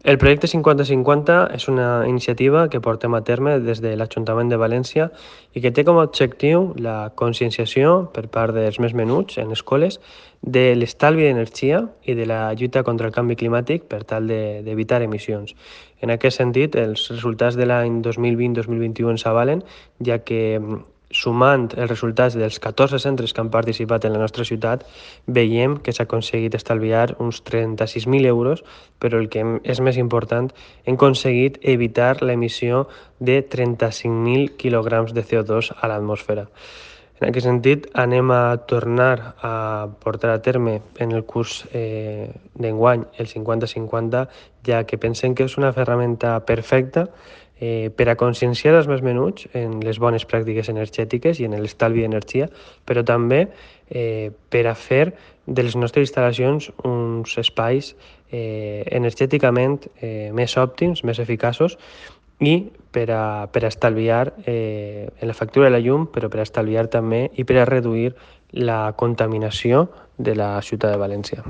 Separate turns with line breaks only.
El projecte 50-50 és una iniciativa que portem a terme des de l'Ajuntament de València i que té com a objectiu la conscienciació per part dels més menuts en escoles de l'estalvi d'energia i de la lluita contra el canvi climàtic per tal d'evitar emissions. En aquest sentit, els resultats de l'any 2020-2021 ens avalen, ja que sumant els resultats dels 14 centres que han participat en la nostra ciutat, veiem que s'ha aconseguit estalviar uns 36.000 euros, però el que és més important, hem aconseguit evitar l'emissió de 35.000 quilograms de CO2 a l'atmosfera. En aquest sentit, anem a tornar a portar a terme en el curs d'enguany el 50-50, ja que pensem que és una ferramenta perfecta per a conscienciar els més menuts en les bones pràctiques energètiques i en l'estalvi d'energia, però també per a fer de les nostres instal·lacions uns espais energèticament més òptims, més eficaços, i per a estalviar en la factura de la llum, però per a estalviar també i per a reduir la contaminació de la ciutat de València.